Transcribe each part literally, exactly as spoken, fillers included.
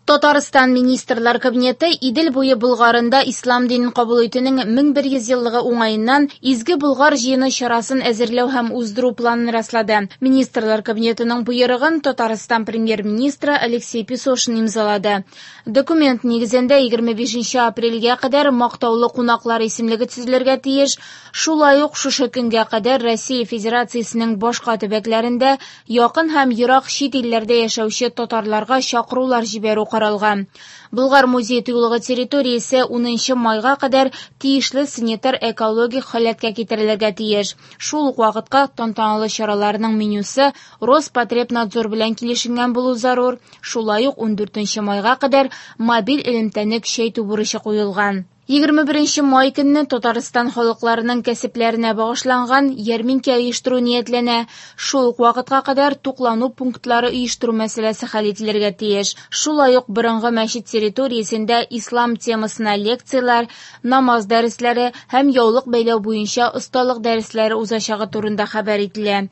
Татарстан Министрлар Кабинеты Идел буе Болгарында ислам динен кабул итүнең мең бер йөз еллыгы уңаеннан Изге Болгар җыены чарасын әзерләү һәм уздыру планын раслады. Министрлар Кабинетының боерыгын Татарстан премьер-министры Алексей Песошин имзалады. Документ нигезендә егерме бишенче апрельгә кадәр мактаулы кунаклар исемлеге төзелергә тиеш. Шулай ук шушы көнгә кадәр Россия Федерациясенең башка төбәкләрендә якын һәм ерак чит илләрдә яшәүче татарларга чакырулар җибәрү каралган. Болгар музей тыюлыгы территориясе унынчы майга кадәр тиешле санитар экологик халәткә китерелергә тиеш. Шул ук вакытка тантаналы чараларның менюсы Роспотребнадзор белән килешенгән булу зарур. Шулай ук ундүртенче майга кадәр мобиль элемтәне көчәйтү бурычы куелган. Егерме беренче май көнне Татарстан халыкларының кәсепләренә багышланган ярминкә оештыру ниятләнә. Шул ук вакытка кадәр туклану пунктлары оештыру мәсьәләсе хәл ителергә тиеш. Шулай ук борынгы мәчет территориясендә ислам темасына лекцияләр, намаз дәресләре һәм яулык бәйләү буенча осталык дәресләре узачагы турында хәбәр ителә.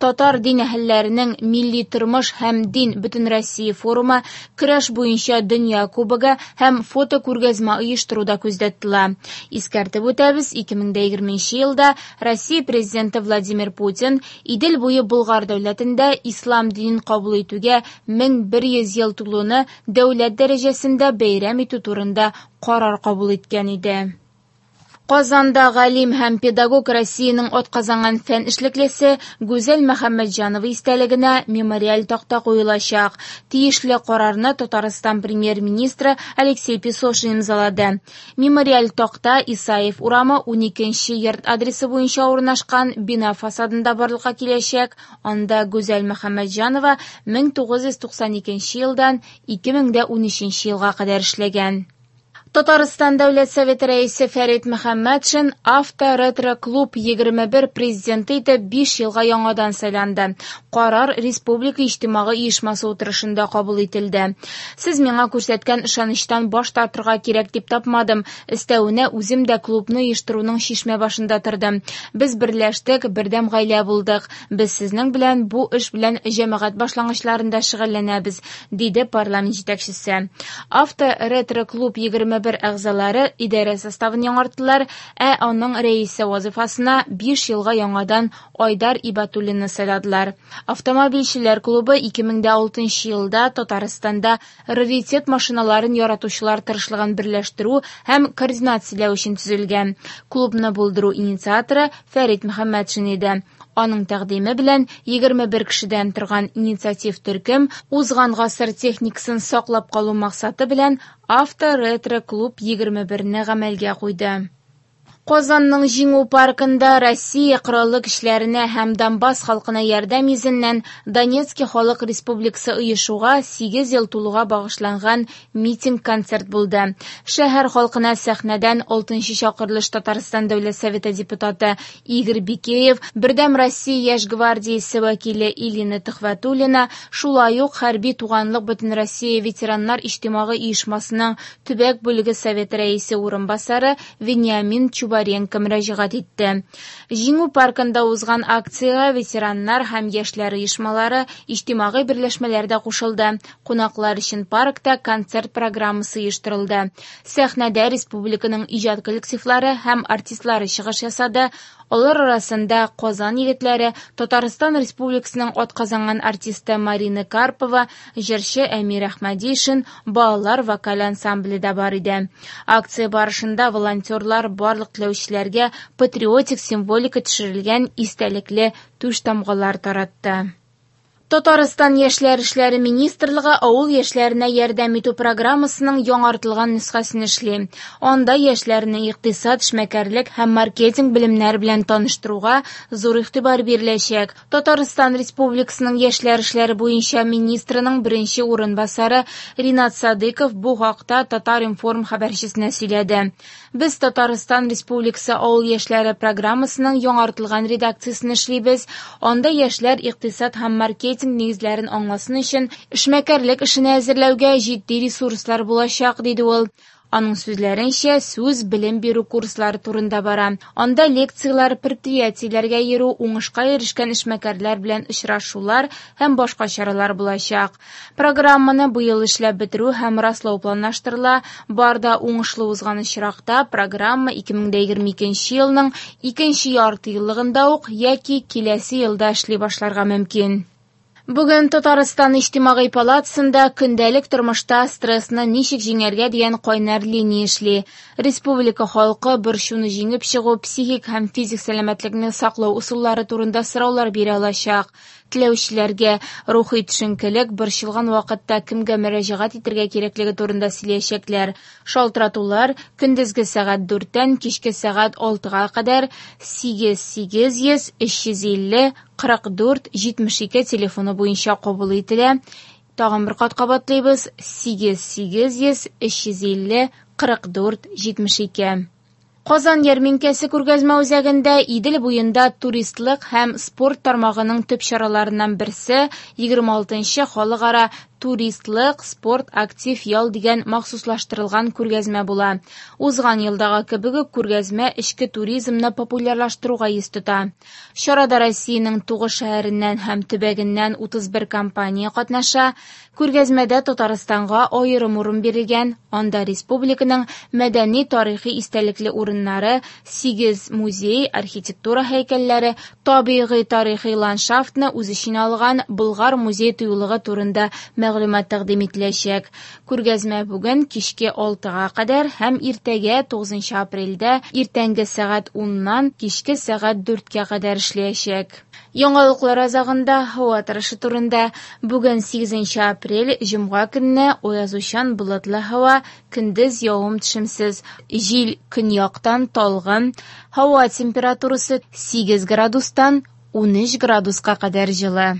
Татар дин әһелләренең милли тормыш һәм дин Бөтенроссия форумы, көрәш буенча дөнья кубогы һәм фото күргәзмә оештыруда күздә тотыла. Искәртеп үтәбез, ике мең дә егерменче елда Россия президенты Владимир Путин Идел буе Болгар дәүләтендә ислам динен кабул итүгә мең бер йөз ел тулуны дәүләт дәрәҗәсендә бәйрәм итү турында карар кабул иткән иде. Казанда галим һәм педагог Россиянең атказанган фән эшлеклесе Гүзәл Мөхәммәтҗанова истәлегенә мемориаль такта куелачак. Тиешле карарны Татарстан премьер-министры Алексей Песошин имзалады. Мемориаль такта Исаев урамы уникенче йорт адресы буенча урнашкан бина фасадында барлыкка киләчәк. Анда Гүзәл Мөхәммәтҗанова мең тугыз йөз туксан икенче елдан ике мең дә унөченче елга кадәр эшләгән. Татарстан Дәүләт Советы рәисе Фәрит Мөхәммәтшин Авто-ретро-клуб егерме бер президенты итеп биш елга яңадан сайланды. Карар Республика иҗтимагый оешмасы утырышында кабул ителде. Сез миңа күрсәткән ышанычтан баш тартырга кирәк дип тапмадым. Өстәвенә үзем дә клубны оештыруның чишмә башында тордым. Без берләштек, бердәм гаилә булдык. Без сезнең белән бу эш белән җәмәгать башлангычларында шөгыльләнәбез, диде парламент җитәкчесе. Авто-ретро-клуб егерме бер әгъзалары идарә составын яңарттылар, ә аның рәисе вазифасына биш елга яңадан Айдар Ибатуллинны сайладылар. Автомобильчеләр клубы ике мең дә алтынчы елда Татарстанда раритет машиналарын яратучылар тырышлыгын берләштерү һәм координацияләү өчен төзелгән. Клубны булдыру инициаторы Фәрит Мөхәммәтшин иде. Аның тәкъдиме белән егерме бер кешедән торган инициатив төркем узган гасыр техникасын саклап калу максаты белән Авто-ретро-клуб егерме берне гамәлгә куйды. Казанның Җиңү паркында Россия Кораллы көчләренә һәм Донбасс халкына ярдәм йөзеннән Донецки халык республикасы оешуга сигез ел тулуга багышланган митинг-концерт булды. Шәһәр халкына сәхнәдән алтынчы чакырылыш Татарстан Дәүләт Советы депутаты Игорь Бикеев, Бердәм Россия яшь гвардиясе вәкиле Илина Төхвәтуллина, шулай ук Хәрби туганлык Бөтенроссия ветераннар иҗтимагый оешмасының төбәк бүлеге советы рәисе урынбасары Вениамин Чубаренко мөрәҗәгать итте. Җиңү паркында узган акциягә ветераннар һәм яшьләр оешмалары, иҗтимагый берләшмәләр дә кушылды. Кунаклар өчен паркта концерт программасы оештырылды. Сәхнәдә республиканың иҗат коллективлары һәм артистлары чыгыш ясады. Алар арасында Казан егетләре, Татарстан Республикасының атказанган артисты Марина Карпова, җырчы Әмир Әхмәдишин, балалар вокаль ансамбле дә бар иде. Акция барышында волонтерлар барлык теләүчеләргә патриотик символика төшерелгән истәлекле түш тамгалар таратты. Татарстан Яшьләр эшләре министрлыгы авыл яшьләренә ярдәм итү программасының яңартылган нөсхәсен эшли. Анда яшьләрне икътисад, эшмәкәрлек һәм маркетинг белемнәре белән таныштыруга зур игътибар биреләчәк. Татарстан Республикасының Яшьләр эшләре буенча министрының беренче урынбасары Ринат Садыков бу хакта Татар-информ хәбәрчесенә сөйләде. Без Татарстан Республикасы авыл яшьләре программасының яңартылган редакциясен эшлибез. Анда яшьләр икътисад һәм маркетинг нигезләрен аңласын өчен эшмәкәрлек эшенә әзерләүгә җитди ресурслар булачак, диде ул. Аның сүзләренчә, сүз белем бирү курслары турында бара. Анда лекцияләр, предприятиеләргә йөрү, уңышка ирешкән эшмәкәрләр белән очрашулар һәм башка чаралар булачак. Программаны быел эшләп бетерү һәм раслау планлаштырыла. Бар да уңышлы узган очракта программа ике мең егерме икенче елның икенче ярты еллыгында ук яки киләсе елда эшли башларга мөмкин. Бүген Татарстан Иҗтимагый палатасында көндәлек тормышта стрессны ничек җиңәргә дигән кайнар линия эшли. Республика халкы борчуны җиңеп чыгу, психик һәм физик сәламәтлекне саклау ысуллары турында сораулар бирә алачак. Теләүчеләргә рухи төшенкелек, борчылган вакытта кемгә мөрәҗәгать итәргә кирәклеге турында сөйләячәкләр. Шалтыратулар көндезге сәгать дүрттән кичке сәгать алтыга кадәр сигез сигез йөз өч йөз илле кырык дүрт җитмеш ике телефоны буенча кабул ителә. Тагын бер кат кабатлыйбыз: сигез сигез йөз өч йөз илле кырык дүрт җитмеш ике. Казан ярминкәсе күргәзмә үзәгендә Идел буенда туристлык һәм спорт тармагының төп чараларыннан берсе егерме алтынчы халыкара туристлык спорт актив ял дигән махсуслаштырылган күргәзмә була. Узган елдагы кебек үк күргәзмә эчке туризмны популярлаштыруга йөз тота. Чарада Россиянең тугыз шәһәреннән һәм төбәгеннән утыз бер компания катнаша. Күргәзмәдә Татарстанга аерым урын бирелгән. Анда республиканың мәдәни тарихи истәлекле урыннары, сигез музей, архитектура һәйкәлләре, табигый тарихи ландшафтны үз эченә алган Болгар музей тыюлыгы турында мәгълүмат тәкъдим ителәчәк. Күргәзмә бүген кичке алтыга кадәр һәм иртәгә тугызынчы апрельдә иртәнге сәгать уннан кичке сәгать дүрткә кадәр эшләячәк. Яңалыклар азагында һава торышы турында. Бүген сигезенче апрель, җомга көнне аязучан болытлы һава, көндез явым-төшемсез, җил көньяктан талгын, һава температурасы сигез градустан унөч градуска кадәр җылы.